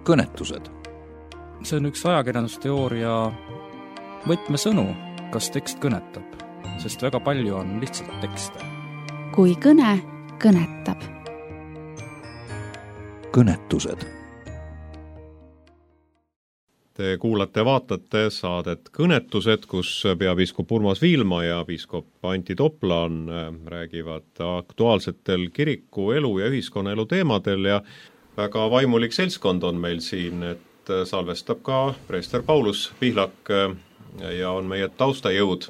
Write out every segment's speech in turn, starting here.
kõnetused. See on üks ajakirjandusteooria võtmesõnu, kas tekst kõnetab, sest väga palju on lihtsalt tekste. Kui kõne kõnetab. Kõnetused. Te kuulate, vaatate saadet Kõnetused, kus peapiiskop Urmas Viilma ja piiskop Antti Toplan räägivad aktuaalsetel kiriku elu ja ühiskonnaelu teemadel ja väga vaimulik seltskond on meil siin, et salvestab ka preester Paulus Pihlak ja on meie taustajõud.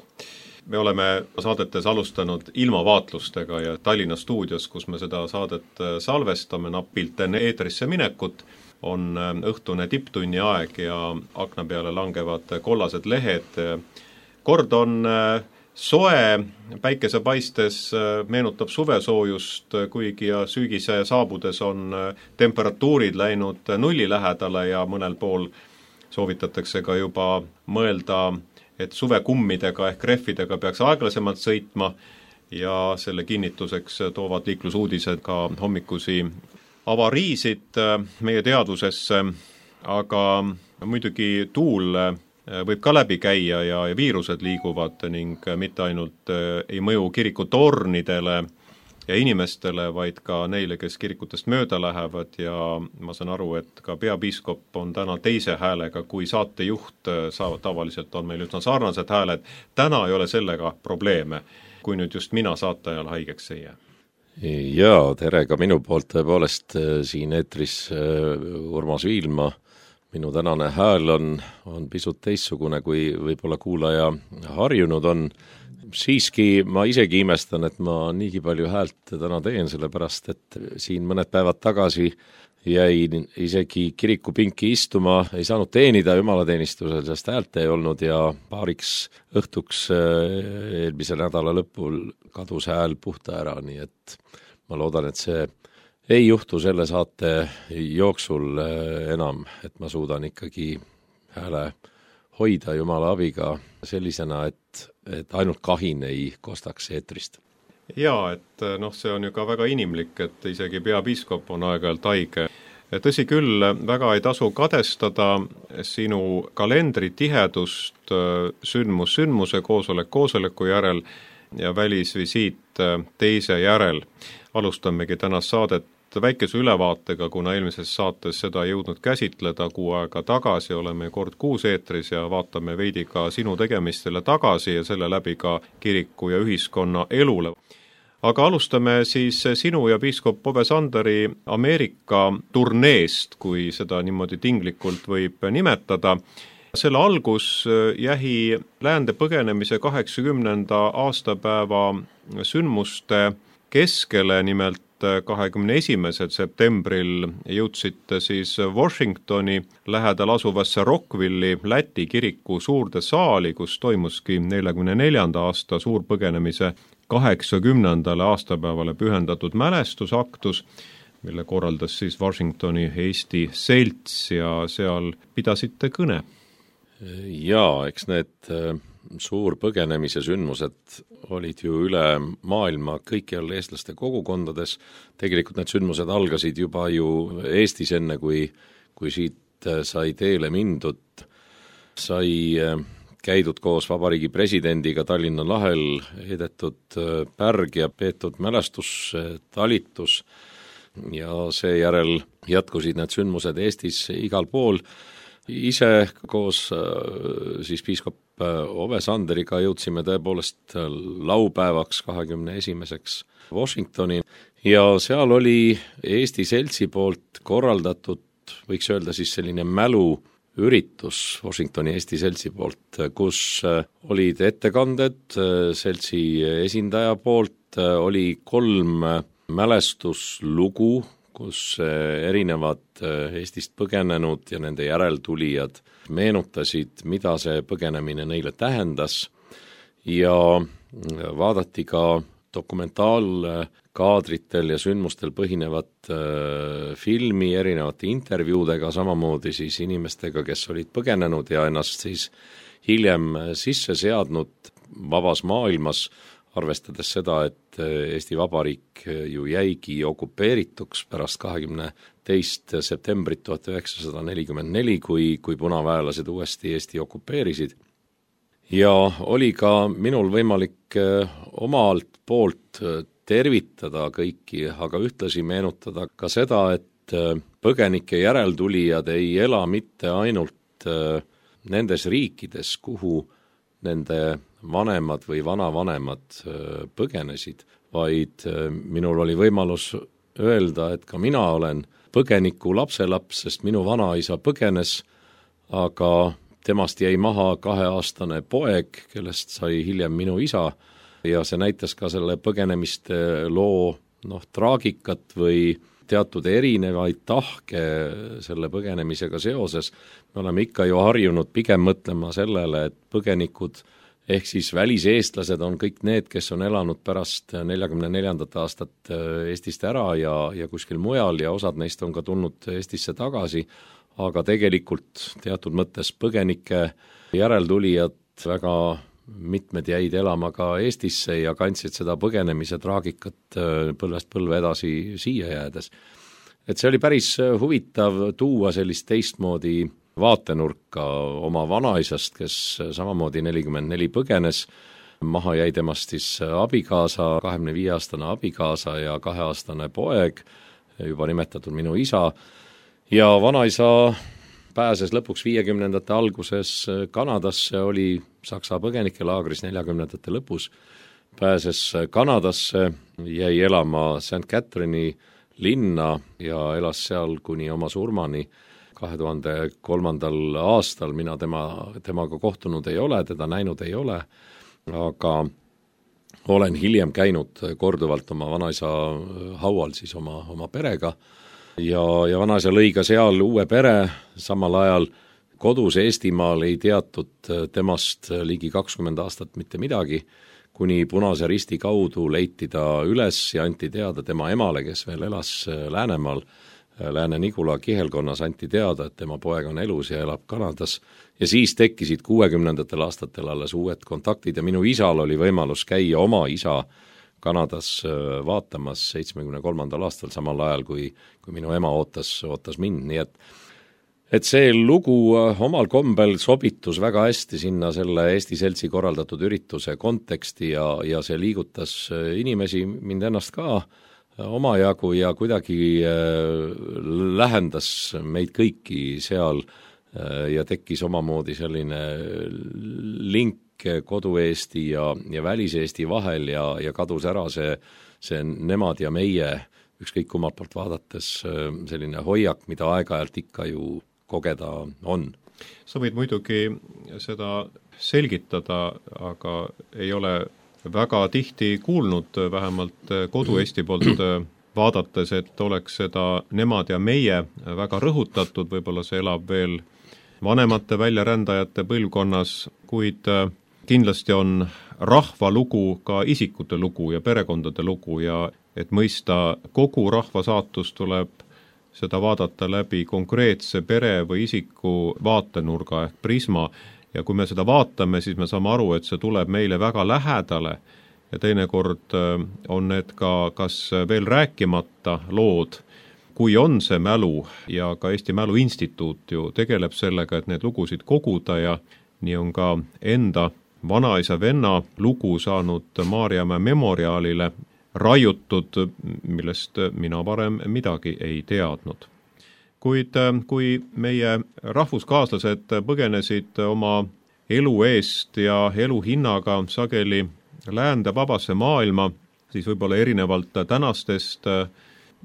Me oleme saadetes alustanud ilmavaatlustega ja Tallinna stuudios, kus me seda saadet salvestame napilt enne eetrisse minekut, on õhtune tipptunni aeg ja akna peale langevad kollased lehed. Kord on soe, päikesepaistes meenutab suvesoojust, kuigi ja sügise saabudes on temperatuurid läinud nulli lähedale ja mõnel pool soovitatakse ka juba mõelda, et suvekummidega ehk rehvidega peaks aeglasemalt sõitma ja selle kinnituseks toovad liiklusuudised ka hommikusi avariisid meie teadvusesse, aga muidugi tuul võib ka läbi käia ja viirused liiguvad ning mitte ainult ei mõju kirikutornidele ja inimestele, vaid ka neile, kes kirikutest mööda lähevad ja ma saan aru, et ka peapiiskop on täna teise häälega kui saatejuht, tavaliselt on meil üsna sarnased hääled, täna ei ole sellega probleeme, kui nüüd just mina saateajal haigeks ei jää. Jaa, tere ka minu poolt tõepoolest siin eetris Urmas Viilma. Minu tänane hääl on pisut teistsugune, kui võib-olla kuulaja harjunud on. Siiski ma isegi imestan, et ma niigi palju häält täna teen, sellepärast et siin mõned päevad tagasi jäin isegi kirikupinki istuma, ei saanud teenida jumalateenistusel, sest häält ei olnud ja paariks õhtuks eelmise nädala lõpul kadus hääl puhta ära, nii et ma loodan, et see ei juhtu selle saate jooksul enam, et ma suudan ikkagi hääle hoida Jumala abiga sellisena, et ainult kahin ei kostaks eetrist. Jaa, et see on ju ka väga inimlik, et isegi peapiiskop on aeg-ajalt haige. Tõsi küll, väga ei tasu kadestada sinu kalendri tihedust sündmuse koosoleku järel ja välisvisiit teise järel. Alustamegi tänast saadet väikese ülevaatega, kuna eelmises saates seda ei jõudnud käsitleda, 6 aega tagasi oleme kord 6 eetris ja vaatame veidi ka sinu tegemistele tagasi ja selle läbi ka kiriku ja ühiskonna elule. Aga alustame siis sinu ja piiskop Ove Sanderi Ameerika turneest, kui seda niimoodi tinglikult võib nimetada. Selle algus jäi läände põgenemise 80. aastapäeva sündmuste keskele, nimelt 21. septembril jõudsite siis Washingtoni lähedal asuvasse Rockville'i Läti kiriku suurde saali, kus toimuski 44. aasta suurpõgenemise 80. aastapäevale pühendatud mälestusaktus, mille korraldas siis Washingtoni Eesti selts ja seal pidasite kõne. Jaa, eks need suurpõgenemise sündmused olid ju üle maailma kõikjal eestlaste kogukondades. Tegelikult need sündmused algasid juba ju Eestis enne, kui siit sai teele mindud. Sai käidud koos vabariigi presidendiga Tallinna lahel, edetud pärg ja peetud mälestustalitus ja seejärel jätkusid need sündmused Eestis igal pool. Ise koos siis piiskop Ove Sanderiga jõudsime tõepoolest laupäevaks 21. Washingtoni ja seal oli Eesti seltsi poolt korraldatud, võiks öelda siis selline mäluüritus Washingtoni Eesti seltsi poolt, kus olid ettekanded seltsi esindaja poolt, oli 3 mälestuslugu, kus erinevad Eestist põgenenud ja nende järeltulijad meenutasid, mida see põgenemine neile tähendas ja vaadati ka dokumentaalkaadritel ja sündmustel põhinevat filmi erinevate intervjuudega, samamoodi siis inimestega, kes olid põgenenud ja ennast siis hiljem sisse seadnud vabas maailmas, arvestades seda, et Eesti Vabariik ju jäigi okupeerituks pärast 22. 2. septembrit 1944, kui punaväelased uuesti Eesti okupeerisid. Ja oli ka minul võimalik omalt poolt tervitada kõiki, aga ühtlasi meenutada ka seda, et põgenike järeltulijad ei ela mitte ainult nendes riikides, kuhu nende vanemad või vanavanemad põgenesid, vaid minul oli võimalus öelda, et ka mina olen põgeniku lapselaps, sest minu vanaisa põgenes, aga temast jäi maha 2-aastane poeg, kellest sai hiljem minu isa, ja see näitas ka selle põgenemiste loo traagikat või teatud erinevaid tahke selle põgenemisega seoses. Me oleme ikka ju harjunud pigem mõtlema sellele, et põgenikud ehk siis väliseestlased on kõik need, kes on elanud pärast 44. aastat Eestist ära ja kuskil mujal ja osad neist on ka tulnud Eestisse tagasi, aga tegelikult teatud mõttes põgenike järeltulijad väga mitmed jäid elama ka Eestisse ja kandsid seda põgenemise traagikat põlvest põlve edasi siia jäädes. Et see oli päris huvitav tuua sellist teistmoodi vaatenurka oma vanaisast, kes samamoodi 44 põgenes, maha jäi temast siis abikaasa, 25-aastane abikaasa ja 2-aastane poeg, juba nimetatud minu isa, ja vanaisa pääses lõpuks 50. alguses Kanadasse, oli Saksa põgenikelaagris 40. lõpus, pääses Kanadasse, jäi elama St. Catherine'i linna ja elas seal kuni oma surmani 2003. aastal. Mina temaga kohtunud ei ole, teda näinud ei ole, aga olen hiljem käinud korduvalt oma vanaisa haual siis oma perega ja vanaisa lõi ka seal uue pere, samal ajal kodus Eestimaal ei teatud temast ligi 20 aastat mitte midagi, kuni Punase Risti kaudu leiti ta üles ja anti teada tema emale, kes veel elas Läänemaal, Lääne-Nigula kihelkonnas, anti teada, et tema poeg on elus ja elab Kanadas. Ja siis tekkisid 60. aastatel alles uued kontaktid ja minu isal oli võimalus käia oma isa Kanadas vaatamas 73. aastal, samal ajal kui minu ema ootas mind, nii et see lugu omal kombel sobitus väga hästi sinna selle Eesti Seltsi korraldatud ürituse konteksti ja see liigutas inimesi, mind ennast ka omajagu ja kuidagi lähendas meid kõiki seal ja tekkis omamoodi selline link kodu-Eesti ja välis-Eesti vahel ja kadus ära see nemad ja meie, ükskõik kummalt poolt vaadates, selline hoiak, mida aeg-ajalt ikka ju kogeda on. Sa võid muidugi seda selgitada, aga ei ole väga tihti kuulnud, vähemalt kodu-Eesti poolt vaadates, et oleks seda nemad ja meie väga rõhutatud, võib-olla see elab veel vanemate väljarändajate põlvkonnas, kuid kindlasti on rahva lugu ka isikute lugu ja perekondade lugu ja et mõista kogu rahva saatust, tuleb seda vaadata läbi konkreetse pere või isiku vaatenurga ehk prisma ja kui me seda vaatame, siis me saame aru, et see tuleb meile väga lähedale ja teinekord on need ka kas veel rääkimata lood, kui on see mälu ja ka Eesti Mälu Instituut ju tegeleb sellega, et need lugusid koguda ja nii on ka enda vanaisa venna lugu saanud Maarjamäe memoriaalile raiutud, millest mina varem midagi ei teadnud. Kuid kui meie rahvuskaaslased põgenesid oma elu eest ja elu hinnaga sageli läände vabasse maailma, siis võib-olla erinevalt tänastest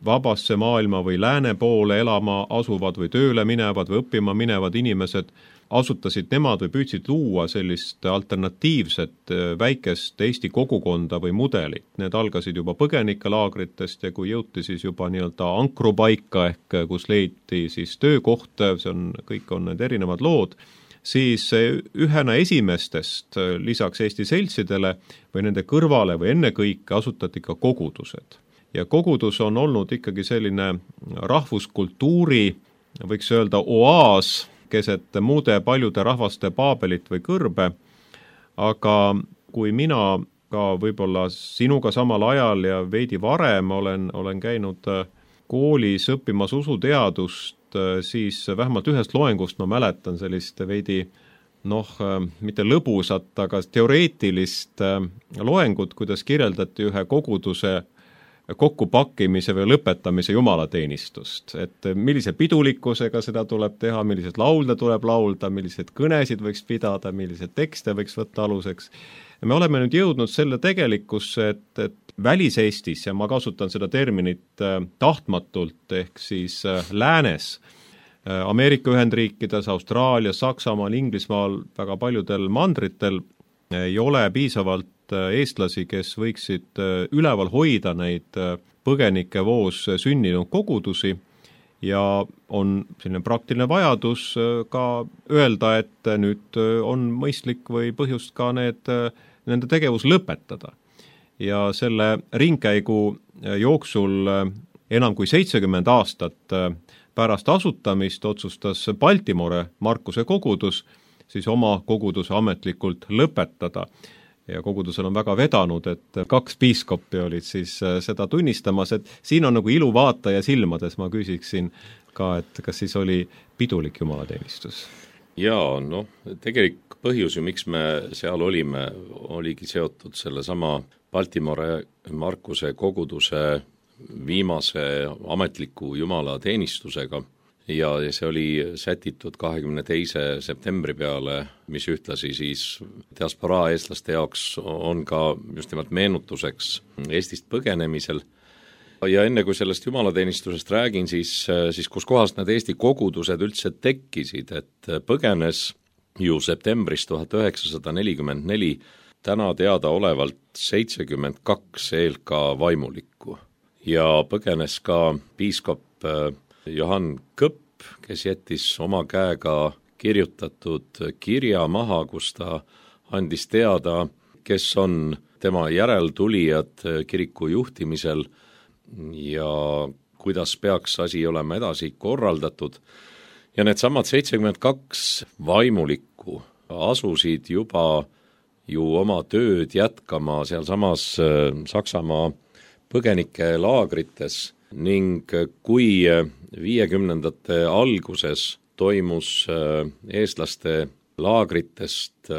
vabasse maailma või lääne poole elama asuvad või tööle minevad või õppima minevad inimesed, asutasid nemad või püüdsid luua sellist alternatiivset väikest Eesti kogukonda või mudelit. Need algasid juba põgenikelaagritest ja kui jõuti siis juba nii-öelda ankrupaika ehk kus leiti siis töökoht, kõik on need erinevad lood, siis ühena esimestest lisaks Eesti seltsidele või nende kõrvale või ennekõike asutati ka kogudused. Ja kogudus on olnud ikkagi selline rahvuskultuuri, võiks öelda oaas, keset muude paljude rahvaste Paabelit või kõrbe, aga kui mina ka võib-olla sinuga samal ajal ja veidi varem olen käinud koolis õppimas usuteadust, siis vähemalt ühest loengust ma mäletan sellist veidi mitte lõbusat, aga teoreetilist loengut, kuidas kirjeldati ühe koguduse kokkupakkimise või lõpetamise jumalateenistust. Et millise pidulikkusega seda tuleb teha, millised laulda tuleb laulda, milliseid kõnesid võiks pidada, milliseid tekste võiks võtta aluseks. Me oleme nüüd jõudnud selle tegelikkusse, et välis-Eestis, ja ma kasutan seda terminit tahtmatult, ehk siis läänes, Ameerika Ühendriikides, Austraalias, Saksamaal, Inglismaal, väga paljudel mandritel ei ole piisavalt eestlasi, kes võiksid üleval hoida neid põgenike voos sünninud kogudusi ja on selline praktiline vajadus ka öelda, et nüüd on mõistlik või põhjust ka nende tegevus lõpetada. Ja selle ringkäigu jooksul enam kui 70 aastat pärast asutamist otsustas Baltimore Markuse kogudus siis oma koguduse ametlikult lõpetada. Ja kogudusel on väga vedanud, et 2 piiskoppi olid siis seda tunnistamas, et siin on nagu ilu vaataja silmades, ma küsiksin ka, et kas siis oli pidulik jumalateenistus? Jaa, tegelik põhjus ju, miks me seal olime, oligi seotud selle sama Baltimore Markuse koguduse viimase ametliku jumalateenistusega ja see oli sätitud 22. septembri peale, mis ühtlasi siis diasporaa eestlaste jaoks on ka just nimelt meenutuseks Eestist põgenemisel. Ja enne kui sellest jumalateenistusest räägin, siis kus kohast need Eesti kogudused üldse tekkisid, et põgenes ju septembris 1944 täna teadaolevalt 72 ELK vaimulikku ja põgenes ka piiskop Johann Kõpp, kes jättis oma käega kirjutatud kirja maha, kus ta andis teada, kes on tema järeltulijad kiriku juhtimisel ja kuidas peaks asi olema edasi korraldatud. Ja needsamad 72 vaimulikku asusid juba ju oma tööd jätkama sealsamas Saksamaa põgenike laagrites ning kui 50ndate alguses toimus eestlaste laagritest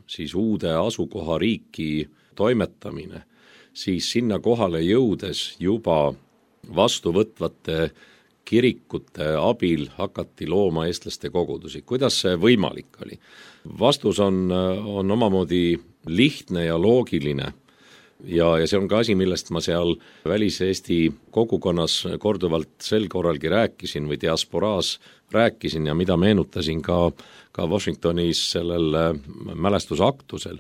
siis uude asukohariiki toimetamine, siis sinna kohale jõudes juba vastuvõtvate kirikute abil hakati looma eestlaste kogudusi. Kuidas see võimalik oli? Vastus on omamoodi lihtne ja loogiline. Ja see on ka asi, millest ma seal välis-Eesti kogukonnas korduvalt sel korralgi rääkisin või diasporaas rääkisin ja mida meenutasin ka Washingtonis sellel mälestusaktusel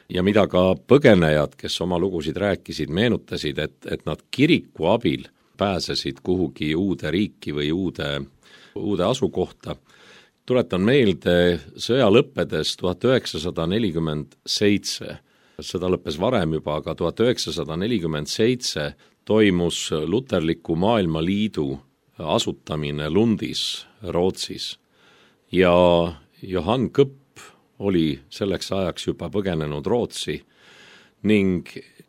ja mida ka põgenejad, kes oma lugusid rääkisid, meenutasid, et nad kiriku abil pääsesid kuhugi uude riiki või uude asukohta. Tuletan meelde sõja lõppedes 1947, seda lõppes varem juba, aga 1947 toimus Luterliku Maailmaliidu asutamine Lundis, Rootsis ja Johann Kõpp oli selleks ajaks juba põgenenud Rootsi ning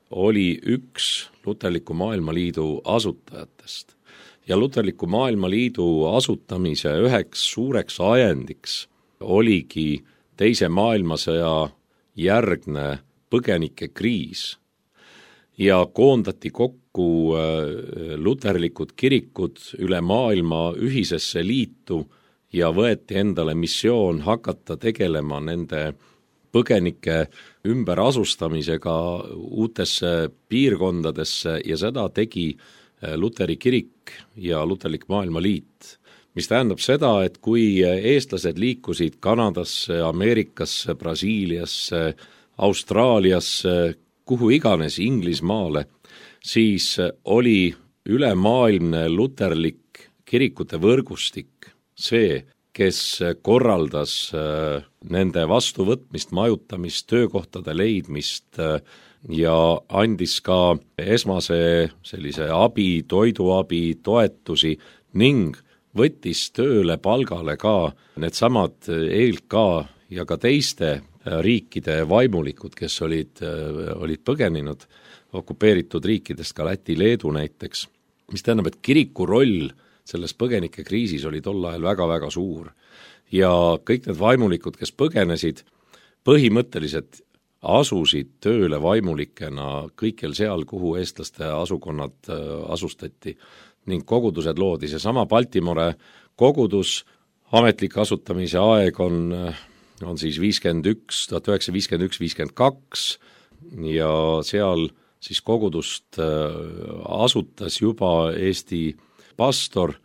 oli üks Luterliku Maailmaliidu asutajatest. Ja Luterliku Maailmaliidu asutamise üheks suureks ajendiks oligi Teise maailmasõja järgne põgenike kriis ja koondati kokku luterlikud kirikud üle maailma ühisesse liitu ja võeti endale missioon hakata tegelema nende põgenike ümberasustamisega uutesse piirkondadesse ja seda tegi Luteri kirik ja Luterlik Maailmaliit, mis tähendab seda, et kui eestlased liikusid Kanadasse, Ameerikasse, Brasiiliasse, Austraaliasse, kuhu iganes Inglismaale, siis oli ülemaailmne luterlik kirikute võrgustik see, kes korraldas nende vastuvõtmist, majutamist, töökohtade leidmist ja andis ka esmase sellise abi, toiduabi, toetusi ning võttis tööle palgale ka needsamad ELK ja ka teiste riikide vaimulikud, kes olid põgeninud okupeeritud riikidest, ka Läti, Leedu näiteks. mis tähendab, et kiriku roll selles põgenike kriisis oli tol ajal väga-väga suur. Ja kõik need vaimulikud, kes põgenesid, põhimõtteliselt asusid tööle vaimulikena kõikjal seal, kuhu eestlaste asukonnad asustati ning kogudused loodi. Seesama Baltimore kogudus, ametlik asutamise aeg on siis 1951-52 ja seal siis kogudust asutas juba Eesti pastor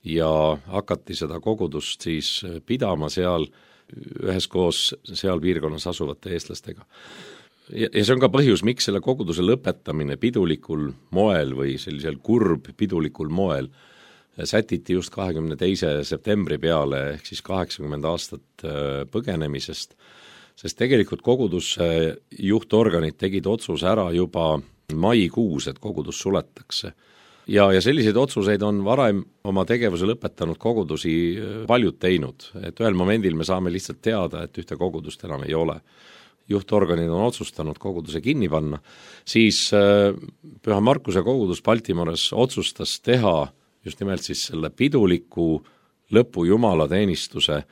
ja hakati seda kogudust siis pidama seal üheskoos seal piirkonnas asuvate eestlastega. Ja see on ka põhjus, miks selle koguduse lõpetamine pidulikul moel või sellisel kurb pidulikul moel sätiti just 22. septembri peale ehk siis 80 aastat põgenemisest, sest tegelikult koguduse juhtorganid tegid otsuse ära juba maikuus, et kogudus suletakse. Ja selliseid otsuseid on varem oma tegevuse lõpetanud kogudusi paljud teinud, et ühel momendil me saame lihtsalt teada, et ühte kogudust enam ei ole. Juhtorganid on otsustanud koguduse kinni panna, siis Püha Markuse kogudus Baltimores otsustas teha just nimelt siis selle piduliku lõpu jumalateenistuse,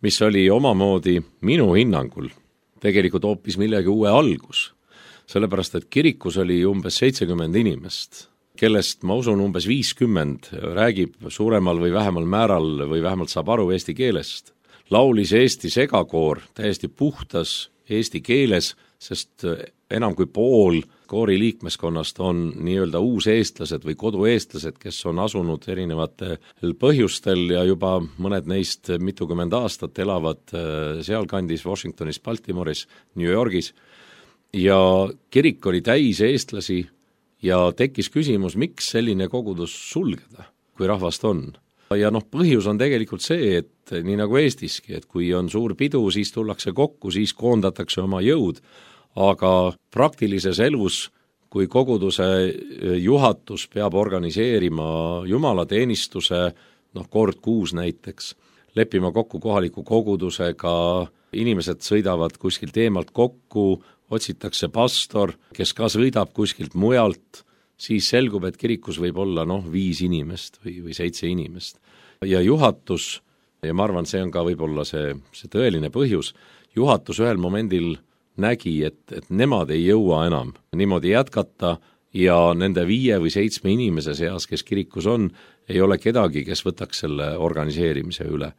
mis oli omamoodi minu hinnangul tegelikult hoopis millegi uue algus, sellepärast et kirikus oli umbes 70 inimest, kellest ma usun umbes 50 räägib suuremal või vähemal määral või vähemalt saab aru eesti keelest. Laulis Eesti segakoor täiesti puhtas eesti keeles, sest enam kui pool koori liikmeskonnast on nii-öelda uuseestlased või kodueestlased, kes on asunud erinevatel põhjustel ja juba mõned neist mitukümmend aastat elavad sealkandis Washingtonis, Baltimoris, New Yorgis ja kirik oli täis eestlasi ja tekkis küsimus, miks selline kogudus sulgeda, kui rahvast on. Ja põhjus on tegelikult see, et nii nagu Eestiski, et kui on suur pidu, siis tullakse kokku, siis koondatakse oma jõud, aga praktilises elus, kui koguduse juhatus peab organiseerima jumalateenistuse, kord kuus näiteks, leppima kokku kohaliku kogudusega, inimesed sõidavad kuskilt eemalt kokku, otsitakse pastor, kes ka sõidab kuskilt mujalt, siis selgub, et kirikus võib olla 5 inimest või 7 inimest. Ja juhatus, ja ma arvan, see on ka võib-olla see tõeline põhjus, juhatus ühel momendil nägi, et nemad ei jõua enam niimoodi jätkata ja nende 5 või 7 inimese seas, kes kirikus on, ei ole kedagi, kes võtaks selle organiseerimise üle.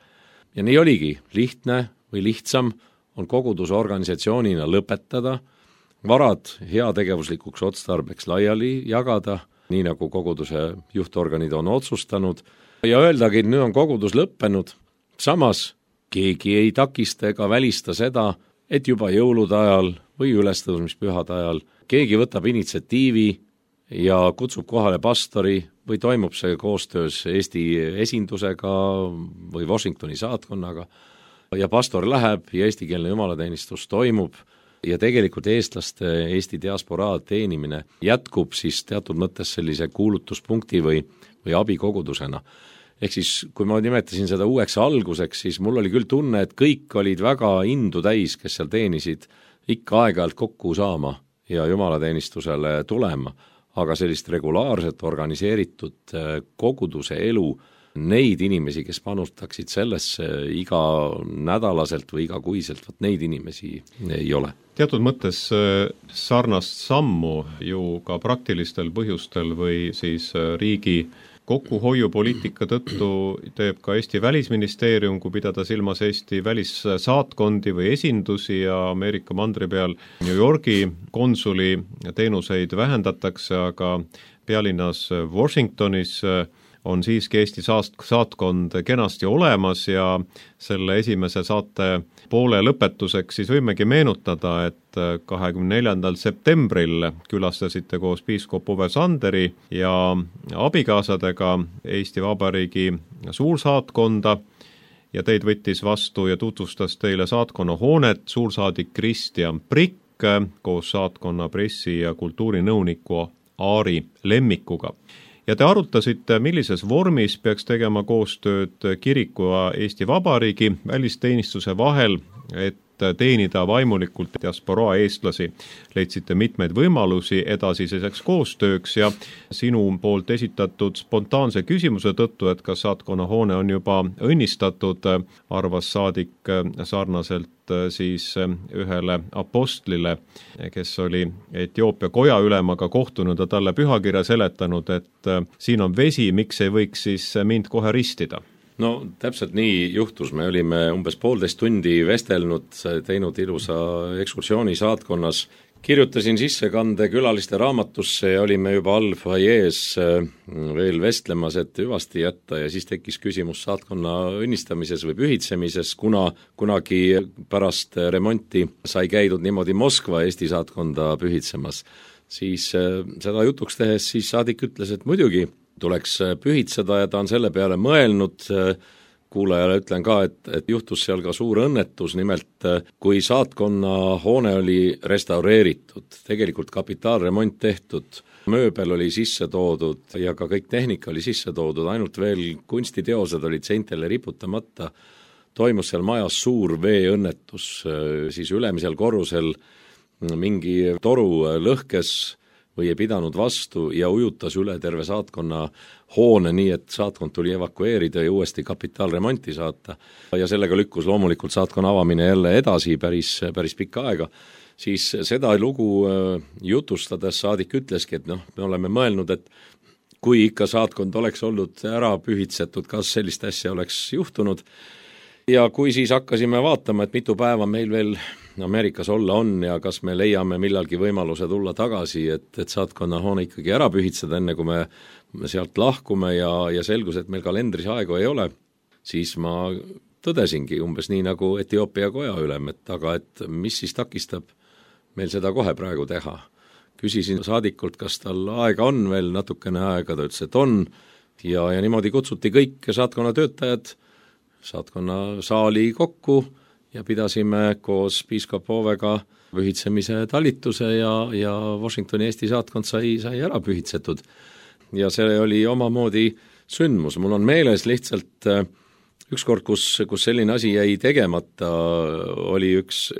Ja nii oligi, lihtne või lihtsam on koguduse organisatsioonina lõpetada, varad heategevuslikuks otstarbeks laiali jagada, nii nagu koguduse juhtorganid on otsustanud, ja öeldagi, et nüüd on kogudus lõppenud, samas keegi ei takista ega välista seda, et juba jõulude ajal või ülestõusmispühade ajal keegi võtab initsiatiivi ja kutsub kohale pastori või toimub see koostöös Eesti esindusega või Washingtoni saatkonnaga ja pastor läheb ja eestikeelne jumalateenistus toimub ja tegelikult eestlaste Eesti diasporaa teenimine jätkub siis teatud mõttes sellise kuulutuspunkti või abikogudusena. Ehk siis, kui ma nimetasin seda uueks alguseks, siis mul oli küll tunne, et kõik olid väga indu täis, kes seal teenisid, ikka aeg-ajalt kokku saama ja jumalateenistusele tulema, aga sellist regulaarset organiseeritud koguduse elu, neid inimesi, kes panustaksid sellesse iga nädalaselt või igakuiselt, neid inimesi ei ole. Teatud mõttes sarnast sammu ju ka praktilistel põhjustel või siis riigi kokkuhoiupoliitika tõttu teeb ka Eesti Välisministeerium, kui pidada silmas Eesti välissaatkondi või esindusi ja Ameerika mandri peal New Yorgi konsuli teenuseid vähendatakse, aga pealinnas Washingtonis on siiski Eesti saatkond kenasti olemas ja selle esimese saate poole lõpetuseks siis võimegi meenutada, et 24. septembril külastasite koos piiskop Uwe Sanderi ja abikaasadega Eesti Vabariigi suursaatkonda ja teid võttis vastu ja tutvustas teile saatkonna hoonet suursaadik Kristjan Prikk koos saatkonna pressi- ja kultuurinõuniku Aari Lemmikuga. Ja te arutasite, millises vormis peaks tegema koostööd kiriku ja Eesti Vabariigi välisteenistuse vahel, et teenida vaimulikult diasporaa eestlasi, leidsite mitmeid võimalusi edasiseks koostööks ja sinu poolt esitatud spontaanse küsimuse tõttu, et kas saatkonna hoone on juba õnnistatud, arvas saadik sarnaselt siis ühele apostlile, kes oli Etioopia koja ülemaga kohtunud ja talle pühakirja seletanud, et siin on vesi, miks ei võiks siis mind kohe ristida? No täpselt nii juhtus, me olime umbes 1,5 tundi vestelnud, teinud ilusa ekskursiooni saatkonnas, kirjutasin sissekande külaliste raamatusse ja olime juba allfoyees veel vestlemas, et hüvasti jätta ja siis tekkis küsimus saatkonna õnnistamises või pühitsemises, kuna kunagi pärast remonti sai käidud niimoodi Moskva Eesti saatkonda pühitsemas. Siis seda jutuks tehes siis saadik ütles, et muidugi tuleks pühitseda ja ta on selle peale mõelnud. Kuulajale ütlen ka, et juhtus seal ka suur õnnetus, nimelt kui saatkonna hoone oli restaureeritud, tegelikult kapitaalremont tehtud, mööbel oli sisse toodud ja ka kõik tehnika oli sisse toodud, ainult veel kunstiteosed olid seintele riputamata, toimus seal majas suur veeõnnetus, siis ülemisel korrusel mingi toru lõhkes või ei pidanud vastu ja ujutas üle terve saatkonna hoone, nii et saatkond tuli evakueerida ja uuesti kapitaalremonti saata. Ja sellega lükkus loomulikult saatkonna avamine jälle edasi päris pikka aega. Siis seda lugu jutustades saadik ütleski, et me oleme mõelnud, et kui ikka saatkond oleks olnud ära pühitsetud, kas sellist asja oleks juhtunud. Ja kui siis hakkasime vaatama, et mitu päeva meil veel Ameerikas olla on ja kas me leiame millalgi võimaluse tulla tagasi, et saatkonna hoone ikkagi ära pühitseda, enne kui me sealt lahkume ja selgus, et meil kalendris aegu ei ole, siis ma tõdesingi umbes nii nagu Etioopia koja ülem, et mis siis takistab meil seda kohe praegu teha. Küsisin saadikult, kas tal aega on veel natukene aega, ta ütles, et on ja niimoodi kutsuti kõik saatkonna töötajad saatkonna saali kokku ja pidasime koos piiskop Oovega pühitsemise talituse ja Washingtoni Eesti saatkond sai ära pühitsetud. Ja see oli omamoodi sündmus. Mul on meeles lihtsalt ükskord, kus selline asi jäi tegemata, oli üks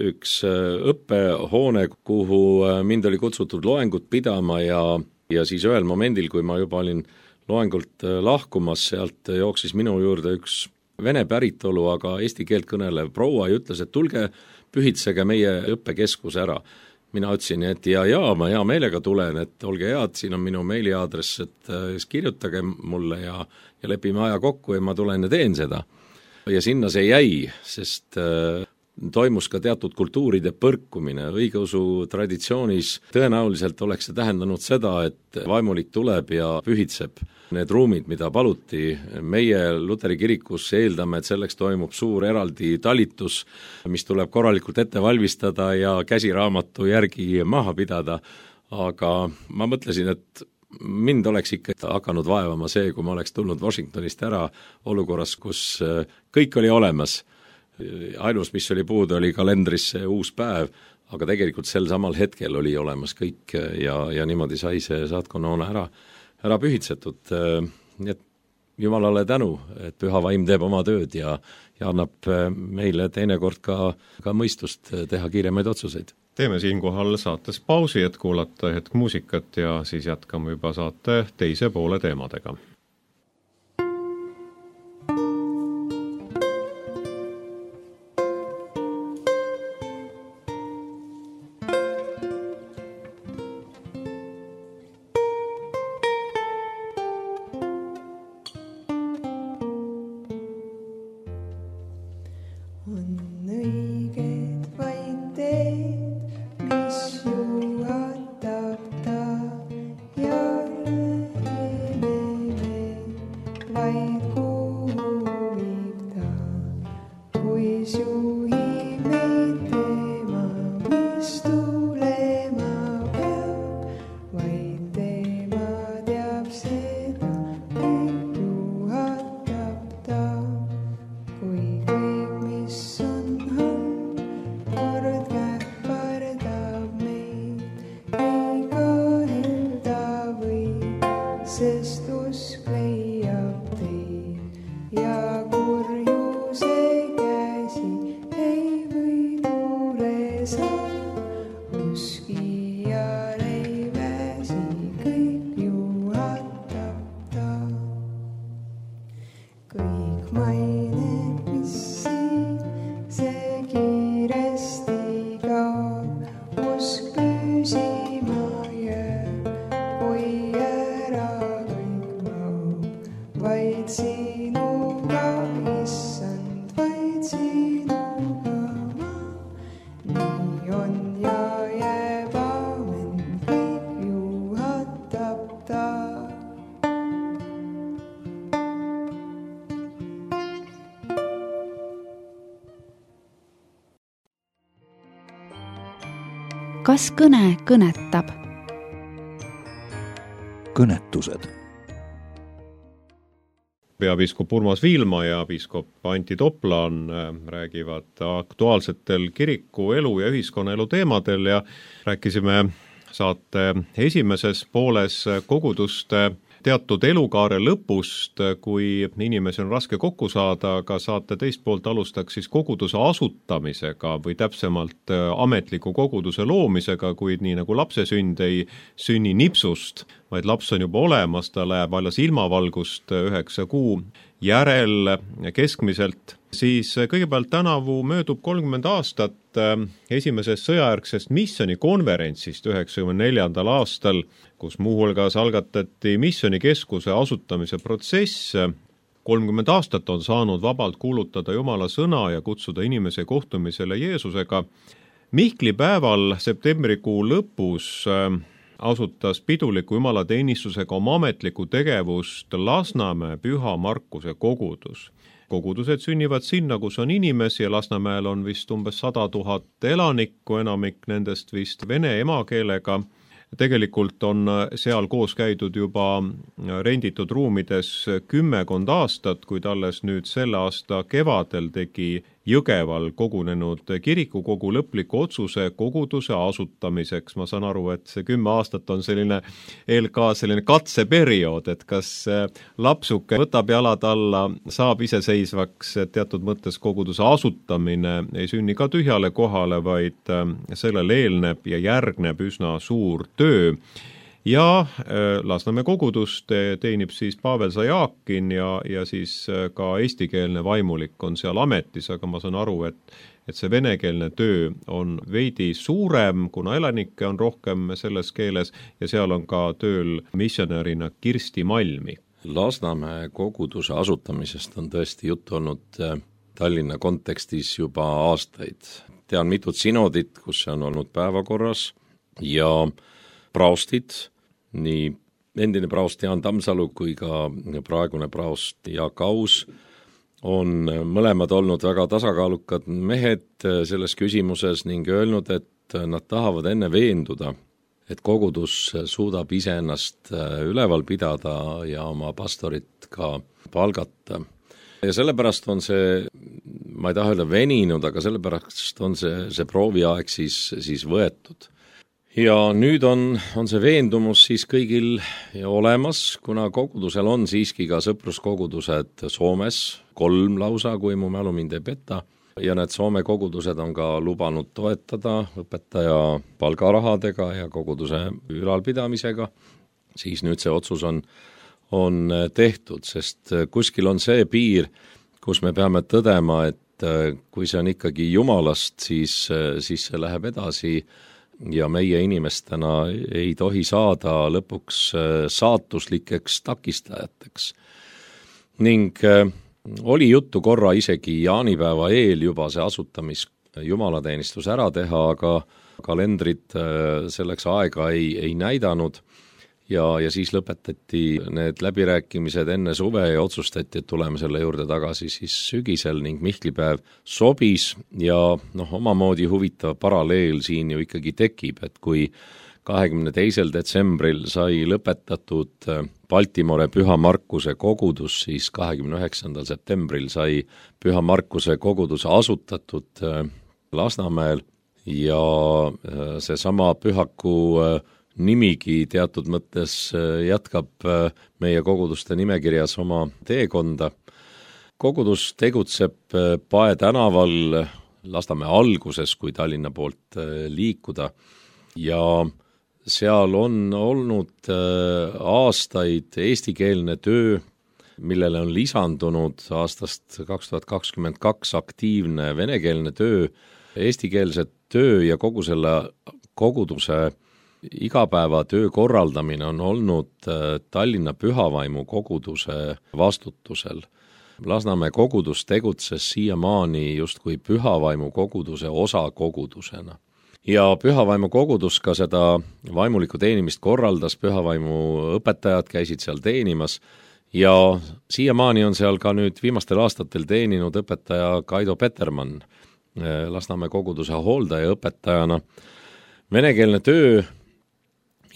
õppehoone, kuhu mind oli kutsutud loengut pidama ja siis ühel momendil, kui ma juba olin loengult lahkumas, sealt jooksis minu juurde üks vene päritolu, aga eesti keelt kõnelev proua ja ütles, et tulge pühitsege meie õppekeskus ära. Mina ütlesin, et ma hea meelega tulen, et olge head, siin on minu meiliaadress, et kirjutage mulle ja lepime aja kokku ja ma tulen ja teen seda. Ja sinna see jäi, sest toimus ka teatud kultuuride põrkumine. Õigeusu traditsioonis tõenäoliselt oleks see tähendanud seda, et vaimulik tuleb ja pühitseb need ruumid, mida paluti. Meie Luteri kirikus eeldame, et selleks toimub suur eraldi talitus, mis tuleb korralikult ette valmistada ja käsiraamatu järgi maha pidada. Aga ma mõtlesin, et mind oleks ikka hakanud vaevama see, kui ma oleks tulnud Washingtonist ära olukorras, kus kõik oli olemas. Ainus, mis oli puudu, oli kalendris see uus päev, aga tegelikult sel samal hetkel oli olemas kõik ja niimoodi sai see saatkonna ära pühitsetud. Et Jumalale tänu, et püha vaim teeb oma tööd ja annab meile teinekord ka mõistust teha kiiremaid otsuseid. Teeme siinkohal saates pausi, et kuulata hetk muusikat ja siis jätkame juba saate teise poole teemadega. Kui kõik, mis on kas kõne kõnetab? Kõnetused. Peapiiskop Urmas Viilma ja piiskop Antti Toplaan räägivad aktuaalsetel kiriku elu ja ühiskonnaelu teemadel ja rääkisime saate esimeses pooles koguduste teatud elukaare lõpust, kui inimesi on raske kokku saada, aga saate teist poolt alustaks siis koguduse asutamisega või täpsemalt ametliku koguduse loomisega, kuid nii nagu lapse sünd ei sünni nipsust, vaid laps on juba olemas, ta läheb alles ilmavalgust 9 kuu järel keskmiselt, siis kõigepealt tänavu möödub 30 aastat esimesest sõjajärgsest missioonikonverentsist 94. aastal, kus muuhulgas algatati missioonikeskuse asutamise protsess. 30 aastat on saanud vabalt kuulutada Jumala sõna ja kutsuda inimese kohtumisele Jeesusega. Mihkli päeval septembrikuu lõpus asutas piduliku jumalateenistusega oma ametlikku tegevust Lasnamäe Püha Markuse kogudus. Kogudused sünnivad sinna, kus on inimesi ja Lasnamäel on vist umbes 100 000 elanikku, enamik nendest vist vene emakeelega. Tegelikult on seal koos käidud juba renditud ruumides 10 aastat, kuid alles nüüd selle aasta kevadel tegi Jõgeval kogunenud kirikukogu lõpliku otsuse koguduse asutamiseks. Ma saan aru, et see 10 aastat on selline katseperiood, et kas lapsuke võtab jalad alla, saab iseseisvaks, teatud mõttes koguduse asutamine ei sünni ka tühjale kohale, vaid sellele eelneb ja järgneb üsna suur töö. Ja Lasnamäe kogudust teenib siis Pavel Zajakin ja siis ka eestikeelne vaimulik on seal ametis, aga ma saan aru, et see venekeelne töö on veidi suurem, kuna elanikke on rohkem selles keeles ja seal on ka tööl missionärina Kirsti Malmi. Lasnamäe koguduse asutamisest on tõesti juttu olnud Tallinna kontekstis juba aastaid. Tean mitut sinodit, kus see on olnud päevakorras ja praostid, nii endine praost Jaan Tammsalu kui ka praegune praost Jaak Aus on mõlemad olnud väga tasakaalukad mehed selles küsimuses ning öelnud, et nad tahavad enne veenduda, et kogudus suudab iseennast üleval pidada ja oma pastorit ka palgata. Ja sellepärast on see, ma ei taha öelda veninud, aga sellepärast on see prooviaeg siis võetud. Ja nüüd on see veendumus siis kõigil olemas, kuna kogudusel on siiski ka sõpruskogudused Soomes, 3 lausa, kui mu mälu mind ei peta, ja need Soome kogudused on ka lubanud toetada õpetaja palgarahadega ja koguduse ülalpidamisega, siis nüüd see otsus on tehtud, sest kuskil on see piir, kus me peame tõdema, et kui see on ikkagi Jumalast, siis see läheb edasi ja meie inimestena ei tohi saada lõpuks saatuslikeks takistajateks. Ning oli juttu korra isegi jaanipäeva eel juba see jumalateenistus ära teha, aga kalendrid selleks aega ei näidanud ja siis lõpetati need läbirääkimised enne suve ja otsustati, et tuleme selle juurde tagasi siis sügisel ning Mihklipäev sobis ja omamoodi huvitav paralleel siin ju ikkagi tekib, et kui 22. detsembril sai lõpetatud Baltimore Püha Markuse kogudus, siis 29. septembril sai Püha Markuse kogudus asutatud Lasnamäel ja seesama pühaku nimigi teatud mõttes jätkab meie koguduste nimekirjas oma teekonda. Kogudus tegutseb Pae tänaval Lasnamäe alguses, kui Tallinna poolt liikuda ja seal on olnud aastaid eestikeelne töö, millele on lisandunud aastast 2022 aktiivne venekeelne töö, eestikeelse töö ja kogu selle koguduse igapäevatöö korraldamine on olnud Tallinna Pühavaimu koguduse vastutusel. Lasnamäe kogudus tegutses siiamaani justkui Pühavaimu koguduse osakogudusena. Ja Pühavaimu kogudus ka seda vaimulikku teenimist korraldas, Pühavaimu õpetajad käisid seal teenimas ja siiamaani on seal ka nüüd viimastel aastatel teeninud õpetaja Kaido Petermann Lasnamäe koguduse hooldaja õpetajana, Venekeelne töö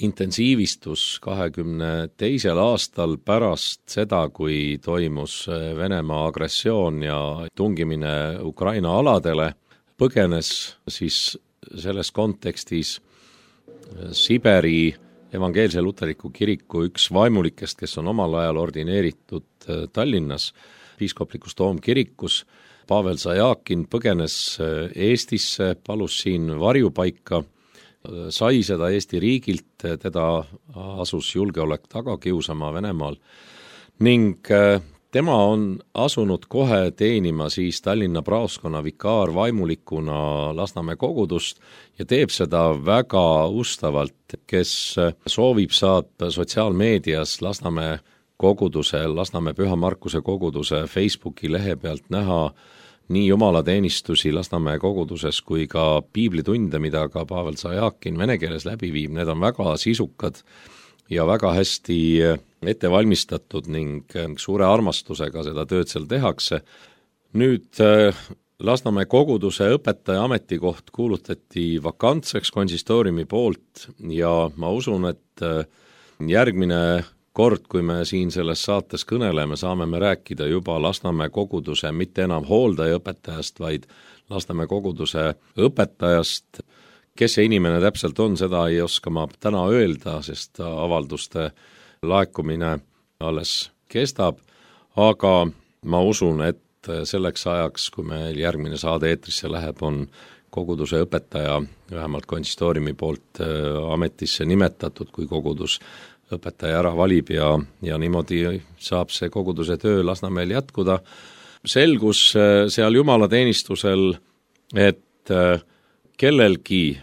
intensiivistus 22. aastal pärast seda, kui toimus Venemaa agressioon ja tungimine Ukraina aladele, põgenes siis selles kontekstis Siberi evangeelse luterliku kiriku üks vaimulikest, kes on omal ajal ordineeritud Tallinnas piiskoplikus toomkirikus. Pavel Zajakin põgenes Eestisse, palus siin varjupaika, sai seda Eesti riigilt, teda asus julgeolek taga kiusama Venemaal ning tema on asunud kohe teenima siis Tallinna praoskonna vikaarvaimulikuna Lasnamäe kogudust ja teeb seda väga ustavalt. Kes soovib, saab sotsiaalmeedias Lasnamäe koguduse, Lasnamäe Püha Markuse koguduse Facebooki lehe pealt näha nii jumalateenistusi Lasnamäe koguduses kui ka piiblitunde, mida ka Pavel Zajakin vene keeles läbi viib. Need on väga sisukad ja väga hästi ette valmistatud ning suure armastusega seda tööd seal tehakse. Nüüd Lasnamäe koguduse õpetaja ametikoht kuulutati vakantseks konsistooriumi poolt ja ma usun, et järgmine kord, kui me siin selles saates kõneleme, saame me rääkida juba Lasnamäe koguduse mitte enam hooldajaõpetajast, vaid Lasnamäe koguduse õpetajast. Kes see inimene täpselt on, seda ei oska ma täna öelda, sest avalduste laekumine alles kestab, aga ma usun, et selleks ajaks, kui meil järgmine saade eetrisse läheb, on koguduse õpetaja vähemalt konsistooriumi poolt ametisse nimetatud, kui kogudus õpetaja ära valib ja niimoodi saab see koguduse töö Lasnamäel jätkuda. Selgus seal jumalateenistusel, et kellelgi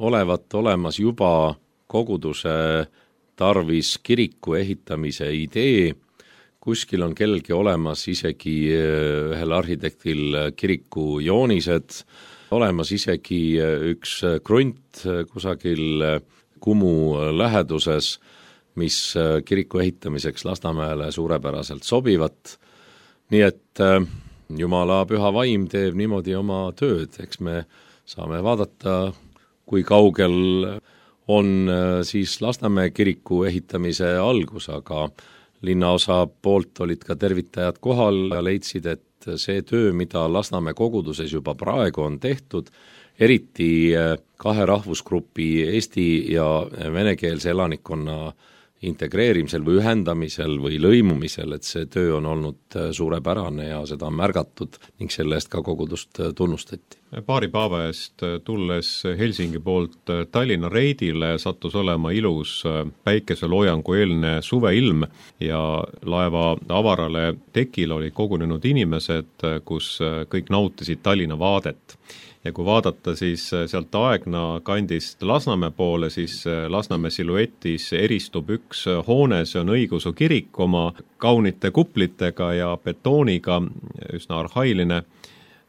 olevat olemas juba koguduse tarvis kiriku ehitamise idee, kuskil on kellelgi olemas isegi ühel arhitektil kiriku joonised, olemas isegi üks krunt kusagil Kumu läheduses, mis kiriku ehitamiseks Lasnamäele suurepäraselt sobivat. Nii et Jumala püha vaim teeb niimoodi oma tööd, eks me saame vaadata, kui kaugel on siis Lasnamäe kiriku ehitamise algus, aga linnaosa poolt olid ka tervitajad kohal ja leidsid, et see töö, mida Lasnamäe koguduses juba praegu on tehtud, eriti kahe rahvusgrupi eesti ja venekeelse elanikkonna integreerimisel või ühendamisel või lõimumisel, et see töö on olnud suurepärane ja seda on märgatud ning selle eest ka kogudust tunnustati. Paari päeva eest tulles Helsingi poolt Tallinna reidile sattus olema ilus päikeseloojangu eelne suveilm ja laeva avarale tekil olid kogunenud inimesed, kus kõik nautisid Tallinna vaadet. Ja kui vaadata siis sealt Aegna kandist Lasnamäe poole, siis Lasnamäe siluetis eristub üks hoone, see on õigeusu kirik oma kaunite kuplitega ja betooniga, üsna arhailine,